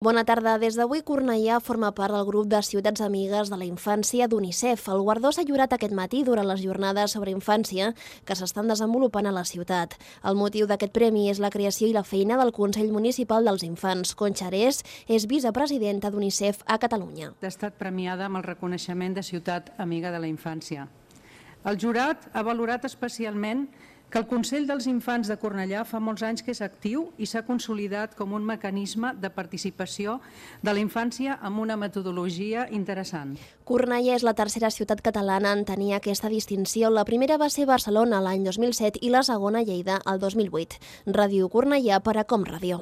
Bona tarda. Des d'avui, Cornellà forma part del grup de ciutats amigues de la infància d'UNICEF. El guardó s'ha lliurat aquest matí durant les jornades sobre infància que s'estan desenvolupant a la ciutat. El motiu d'aquest premi és la creació i la feina del Consell Municipal dels Infants. Concha Arés és vicepresidenta d'UNICEF a Catalunya. Ha estat premiada amb el reconeixement de ciutat amiga de la infància. El jurat ha valorat especialment que el Consell dels Infants de Cornellà fa molts anys que és actiu i s'ha consolidat com un mecanisme de participació de la infància amb una metodologia interessant. Cornellà és la tercera ciutat catalana en tenir aquesta distinció. La primera va ser Barcelona l'any 2007 i la segona Lleida el 2008. Ràdio Cornellà per a Com Ràdio.